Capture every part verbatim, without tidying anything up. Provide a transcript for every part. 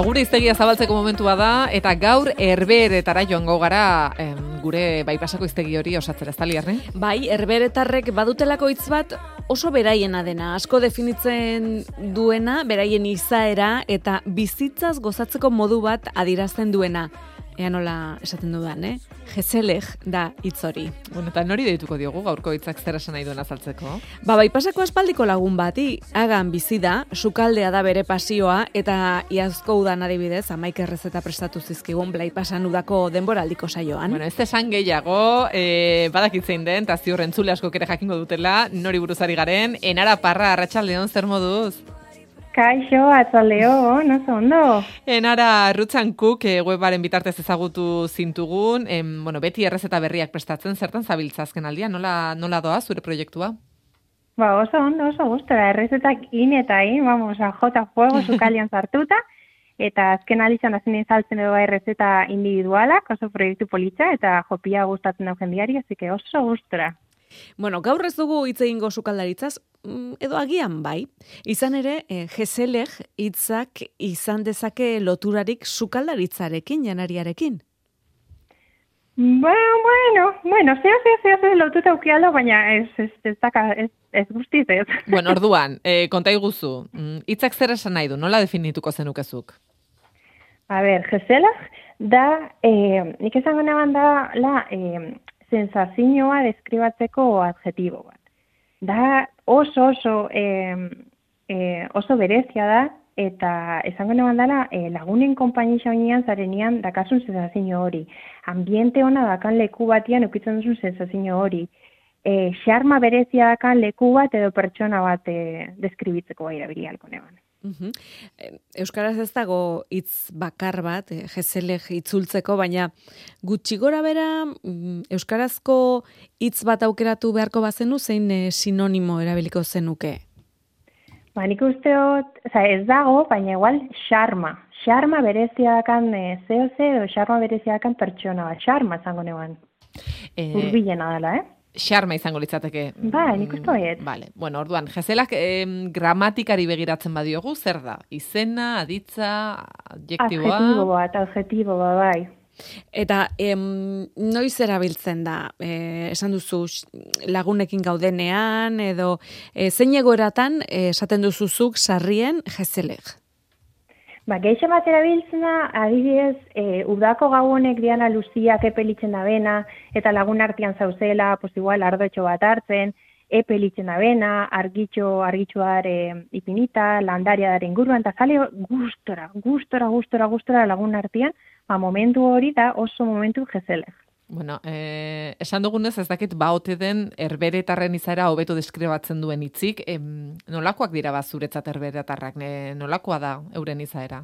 Gure hiztegia zabaltzeko momentua da, eta gaur Herbeheretara joango gara em, gure baipasako hiztegi hori osatzera, ez da, Liarne? Bai, Herbeheretarrek badutelako hitz bat oso beraiena dena, asko definitzen duena, beraien izaera eta bizitzaz gozatzeko modu bat adierazten duena. Ea nola esaten dudan, eh? Gezelek da hitz hori. Bueno, eta nori deituko diogu gaurko hitzak zer esan nahi duen azaltzeko? Ba, baipasako aspaldiko lagun bati, hagan bizi da, sukaldea da bere pasioa, eta iazko udan adibidez, hamaika errezeta prestatu zizkigun blaipasan udako denboraldiko saioan. Bueno, ez esan gehiago, eh, badakitzein den, eta ziur entzule asko ere jakingo dutela, nori buruzari garen, Enara Parra, Arratsaldeon, zer moduz? Kaixo, atzaldeo, oso ondo. Enara Rutsan Cook e, webaren bitartez ezagutu zintugun, em, bueno, beti errezeta berriak prestatzen, zertan zabiltza azken aldia, nola, nola doa zure proiektua? Ba, oso ondo, oso gustora, errezetak in eta in, vamos, a jota fuego sukalian sartuta, eta azken alitzan azinen saltzen edo errezeta individualak, oso proiektu politza, eta jopia gustatzen dau jendiari, así que oso gustora. Bueno, gaur ez dugu hitz egingo sukaldaritzaz, edo agian bai. Izan ere, eh, gezelek hitzak izan dezake loturarik sukaldaritzarekin, janariarekin. Bueno, bueno, bueno, zeo, zeo, zeo, zeo lotuta ukialdo, baina ez, ez, ez, daka, ez, ez guztiz ez. Bueno, orduan, eh, konta iguzu, hitzak zer esan nahi du, nola definituko zenukezuk? A ber, gezelek da, eh, nik esango neban da, la, eh, sensazioa deskribatzeko adjetibo bat. Da oso oso eh, eh, oso berezia da, eta esango neban dela eh, lagunen konpaini xaunean zarenian dakasun sensazio hori. Ambiente ona dakan leku batian ukitzen duzun sensazio hori. Eh, xarma berezia dakan leku bat edo pertsona bat eh, deskribitzeko bai erabilialko neban. Uhum. Euskaraz ez dago hitz bakar bat, eh, gezelek itzultzeko, baina gutxi gora bera euskarazko hitz bat aukeratu beharko bazenu, zein eh, sinonimo erabiliko zenuke? Ba, nik usteot, oza, ez dago, baina igual xarma. Xarma bereziakan eh, zeo ze edo xarma bereziakan pertsona bat. Xarma zango neban. Eh... Urbilena dela, eh? Xarma izango litzateke. Ba, nik uste baiet. Vale. Bueno, orduan, gezelak eh, gramatikari begiratzen badiogu, zer da? Izena, aditza, adjektiboa? Adjetibo bat, adjetibo bat, bai. Eta em, noiz erabiltzen da? E, esan duzu lagunekin gaudenean, edo e, zein egoeratan e, esaten duzuzuk sarrien gezelek? Ba, geixe bat erabiltzen da, adibidez, e, udako gau honek diana luziak epelitzen da bena, eta lagun artean zauzela, pues igual ardotxo bat hartzen, epelitzen da bena, argitxo, argitxoar e, ipinita, landaria daren inguruan, eta zale gustora, gustora, gustora, gustora lagun artean, ba, momentu hori da oso momentu gezelek. Bueno, eh, esan dugunez ez dakit baote den herberetarren izaera hobeto deskribatzen duen hitzik, em, nolakoak dira ba zuretzat herberetarrak, ne, nolakoa da euren izaera?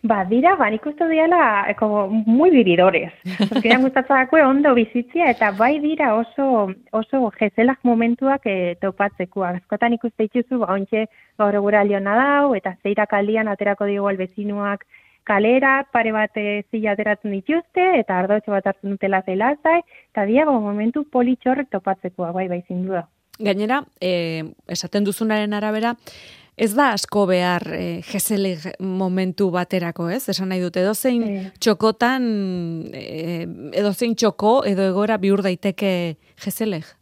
Ba, dira, ba, nik uste diala, como, muy viridores. Zorkidean gustatzako ondo bizitzia, eta bai dira oso, oso gezelak momentuak e, topatzeko. Azkotan ikuste itxuzu, ba, ontxe gaur egura aliona dau, eta zeirak aldian aterako digo albezinuak kalera, pare bat zila ateratzen dituzte, eta ardotxo bat hartzen dutela zelazai, eta diago momentu politxorrek topatzekoa, bai, bai, zindu da. Gainera, eh, esaten duzunaren arabera, ez da asko behar eh, gezelek momentu baterako, ez? Esan nahi dute, edozein e. txokotan, eh, edozein txoko, edo egora bihur daiteke gezelek?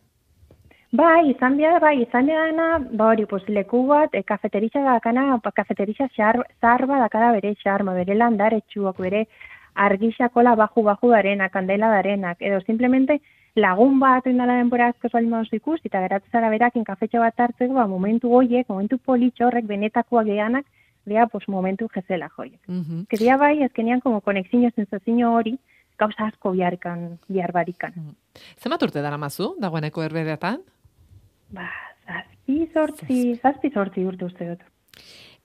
Bai, izan behar, bai, izan behar, ba hori, pues, leku bat, e, kafeteritza dakana, kafeteritza zarba dakara bere xarma, bere landaretsuak, bere argixakola baju-baju darenak, kandela darenak, edo simplemente lagun bat oindala denbora asko salin badozu ikusi, eta geratzen zara berakin kafetxo bat hartzeko, ba, momentu goiek, momentu politxorrek, benetakoak geanak, dira, pues, momentu gezela joiek. Uh-huh. Que dira bai, ezkenean, como konexinio, sensazio hori, gauza asko biharkan, bihar barikan. Uh-huh. Zemat urte dara mazu, dagoeneko herberetan? Ba, zazpi sortzi, zazpi sortzi urte uste dut.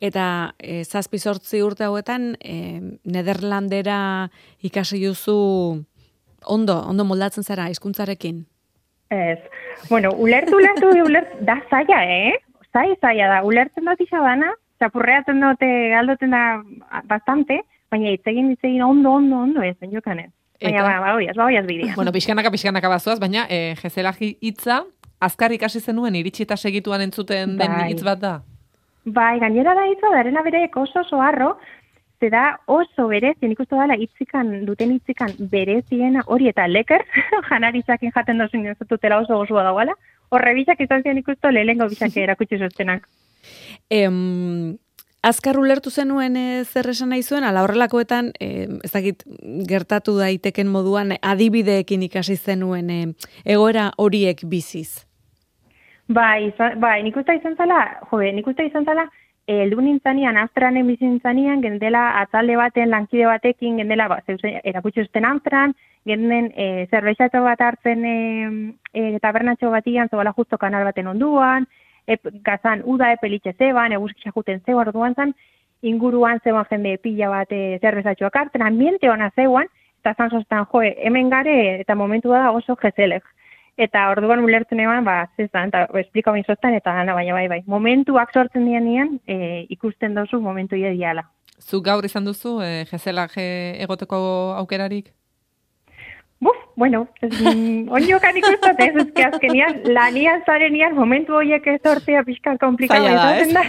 Eta e, zazpi sortzi urte hauetan, e, Nederlandera ikasi duzu ondo, ondo moldatzen zara hizkuntzarekin. Ez. Bueno, ulertu, ulertu, ulertu, da zaila, eh? Zai, zaila da. Ulertzen dut izabana, txapurreatzen dute, galdoten da bastante, baina itzegin, itzegin ondo, ondo, ondo, ez, ben jokanen. Baina, ba, ba, oiaz, ba, oiaz bidea. Bueno, pixkanaka, pixkanaka bazoaz, baina e, jezelagi hitza, azkar ikasi zenuen, iritsi eta segituan entzuten den Bai. hitz bat da? Bai, gainera da hitza, darena berek oso oso harro, ze da oso berezi, nik uste dela hitzikan, duten hitzikan bereziena, hori eta leker, janaritzakin jaten dozun dutela oso gozua dagoela, horre bisak izan zian ikustu lehengo bisak erakutsi zuztenak. Em, azkar ulertu zenuen e, zer esan nahi zuen, ala horrelakoetan, e, ez dakit gertatu daiteken moduan, adibideekin ikasi zenuen e, egoera horiek biziz. Bai, izan, bai, nik uste izan zala, jode, nik uste izan zala, heldu nintzanian, Amsterdamen bizi nintzanian, gendela atzalde baten, lankide batekin, gendela, ba, zeuzen, erakutsi zuten Amsterdam, genden e, zerbeixatxo bat hartzen e, e, tabernatxo batian, zebala justo kanal baten onduan, e, gazan, uda epelitxe zeban, eguzkisa juten zeuan, orduan zan, inguruan zeban jende pila bat e, zerbeixatxoak hartzen, ambiente hona zeuan, eta zan sostan, joe, hemen gare, eta momentu da oso jezelek. Eta orduan ulertzen eban, ba, zezan, eta esplika bain sostan, eta gana, baina bai, bai. Momentuak sortzen dianean, e, ikusten dozu momentu ideala. Zuk gaur izan duzu, e, jezelak egoteko aukerarik? Buf, bueno, oniokan ikustat ez, ezke azkenian, lanian zarenian, momentu horiek ez sortzea pixka komplikatu izaten da.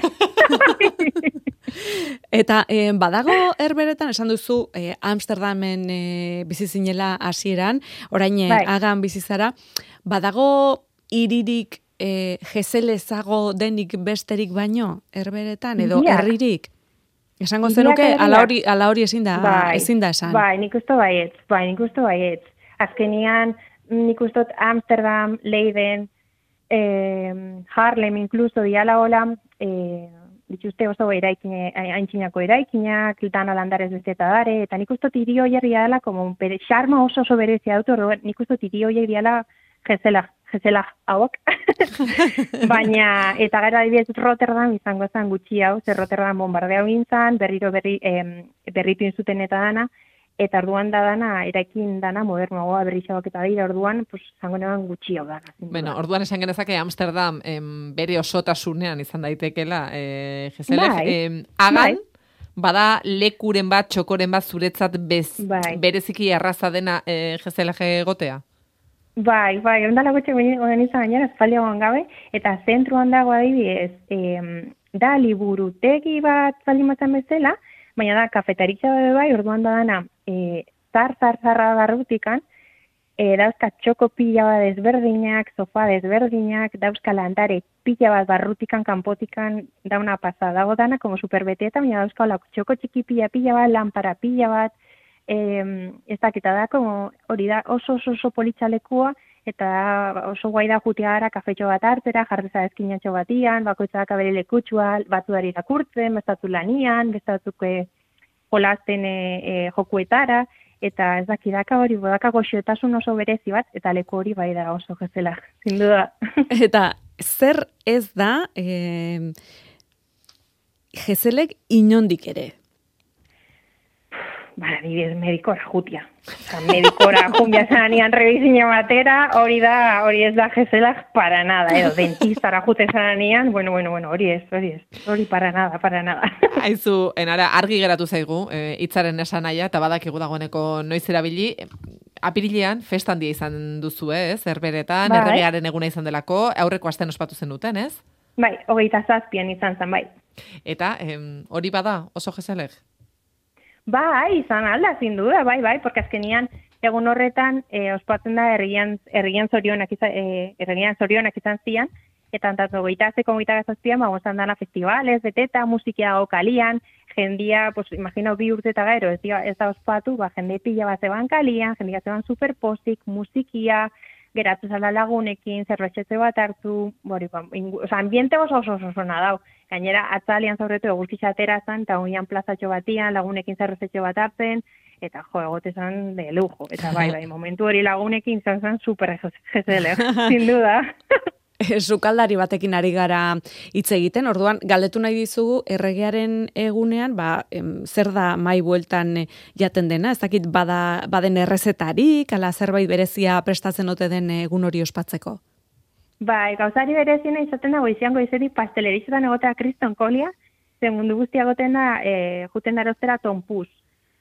Eta eh, badago herberetan, esan duzu, eh, Amsterdamen eh, bizi zinela hasieran, orain eh, bai. Hagan bizi zara, badago hiririk eh, jezelezago denik besterik baino herberetan, edo Iria. herririk? Esango Iriak zenuke, herria. ala hori, ala hori ezin da, Bai, ezin da esan. Bai, nik uste baietz, bai, nik uste baietz. Azkenian, nik uste Amsterdam, Leiden, eh, Harlem, incluso, diala hola, eh, dituzte oso eraikine, haintzinako eraikinak, dana landarez bezeta dare, eta nik uste hiri horiek diala, como bere, xarma oso oso berezia dut, orduan, nik uste hiri horiek diala jezela, jezela hauak. Baina, eta gara adibidez Rotterdam izango zen gutxi hau, zer Rotterdam bombardea gintzan, berriro berri, eh, berritu inzuten eta dana, eta orduan da dana, eraikin dana modernoagoa berrixabak eta dira, orduan, pues, zango neban gutxi hau dana. Bueno, orduan esan genezake Amsterdam em, bere osotasunean izan daitekela, e, jezelek, Bai, em, Hagan, bai. bada lekuren bat, txokoren bat zuretzat bez, Bai. bereziki erraza dena e, jezelek egotea? Bai, bai, ondala gutxe guen izan gainera, espaldiagoan gabe, eta zentruan dago adibidez, em, da liburutegi bat zalimatzen bezala, baina da, kafetaritza bebe bai, orduan da dana, e, zar, zar, zarra barrutikan, e, dauzka txoko pila bat desberdinak, sofa desberdinak, dauzka landare pila bat barrutikan, kanpotikan, dauna pasada, dago dana, como superbeteta, baina dauzka hola, txoko txiki pila pila bat, lampara pila bat, e, ez dakita da, como, hori da, oso oso oso politxalekua, eta oso guai da jutea gara kafetxo bat hartera, jarreza eskinatxo batian, bakoitzak abere lekutsua, batzu dari irakurtzen, bestatu lanian, bestatzuk e, jolasten e, e, jokuetara, eta ez dakidaka hori, bodaka goxiotasun oso berezi bat, eta leku hori bai da oso jezela, sin duda. Eta zer ez da eh, jezelek inondik ere? Bara, dibidez, medikora jutia. Osa, medikora jumbia zanian revizina batera, hori da, hori ez da jezelak para nada, edo dentistara jute zanian, bueno, bueno, bueno, hori ez, hori ez, hori para nada, para nada. Aizu, enara, argi geratu zaigu, e, hitzaren esan naia, eta badakigu dagoeneko noiz erabili, apirilean festan dia izan duzu, ez? Herberetan, bai. Erregearen eguna izan delako, aurreko asten ospatu zen duten, ez? Bai, hogeita zazpian izan zen, bai. Eta em, hori bada, oso jezelek? Bai, izan alda, sin duda, bai, bai, porque azkenian egun horretan e, ospatzen da herrian, herrian zorionak izan, e, herrian zorionak izan zian, eta tanto goita azeko goita gazazpian, ba, gozan dana festivales, beteta, musikia dago kalian, jendia, pues, imagino bi urte eta gero, ez, ez da ospatu, ba, jende pila bat zeban kalian, jendia zeban superposik, musikia, geratu zala lagunekin, zerbetxetze bat hartu, bori, ba, ingu, oza, ambiente oso oso oso zona dau. Gainera, atzalian zaurretu eguzkitza aterazan, eta oian plazatxo batian, lagunekin zerbetxetxe bat hartzen, eta jo, egote zan de lujo. Eta bai, bai, momentu hori lagunekin zan zan super jezele, sin duda. sukaldari batekin ari gara hitz egiten, orduan galdetu nahi dizugu erregearen egunean, ba, em, zer da mai bueltan eh, jaten dena, ez dakit bada, baden errezetarik, ala zerbait berezia prestatzen ote den egun hori ospatzeko? Bai, gauzari berezina izaten da, goizian goizetik pastelerizetan egotea kriston kolia, ze mundu guztia goten da, e, juten daroztera tonpuz.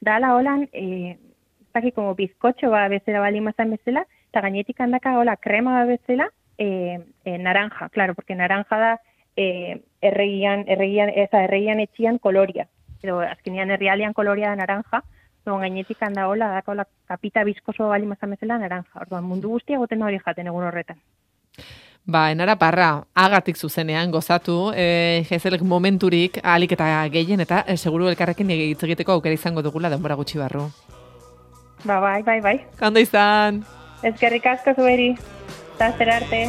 Da, ala holan, e, ez dakit, como bizkotxo ba bezala bali mazan bezala, eta gainetik handaka hola krema ba bezala, e, e, naranja, claro, porque naranja da e, erregian, erregian, eza, erregian etxian koloria. Edo, azkenean herrialian koloria da naranja, Zon gainetik handa hola, dako la kapita bizkoso bali mazan bezala naranja. Orduan, mundu guztia goten hori jaten egun horretan. Ba, enara parra, agatik zuzenean gozatu, e, jezelek momenturik ahalik eta gehien, eta e, seguru elkarrekin hitz egiteko aukera izango dugula denbora gutxi barru. Ba, bai, bai, bai. Kando izan! Ezkerrik asko zueri, eta zer arte.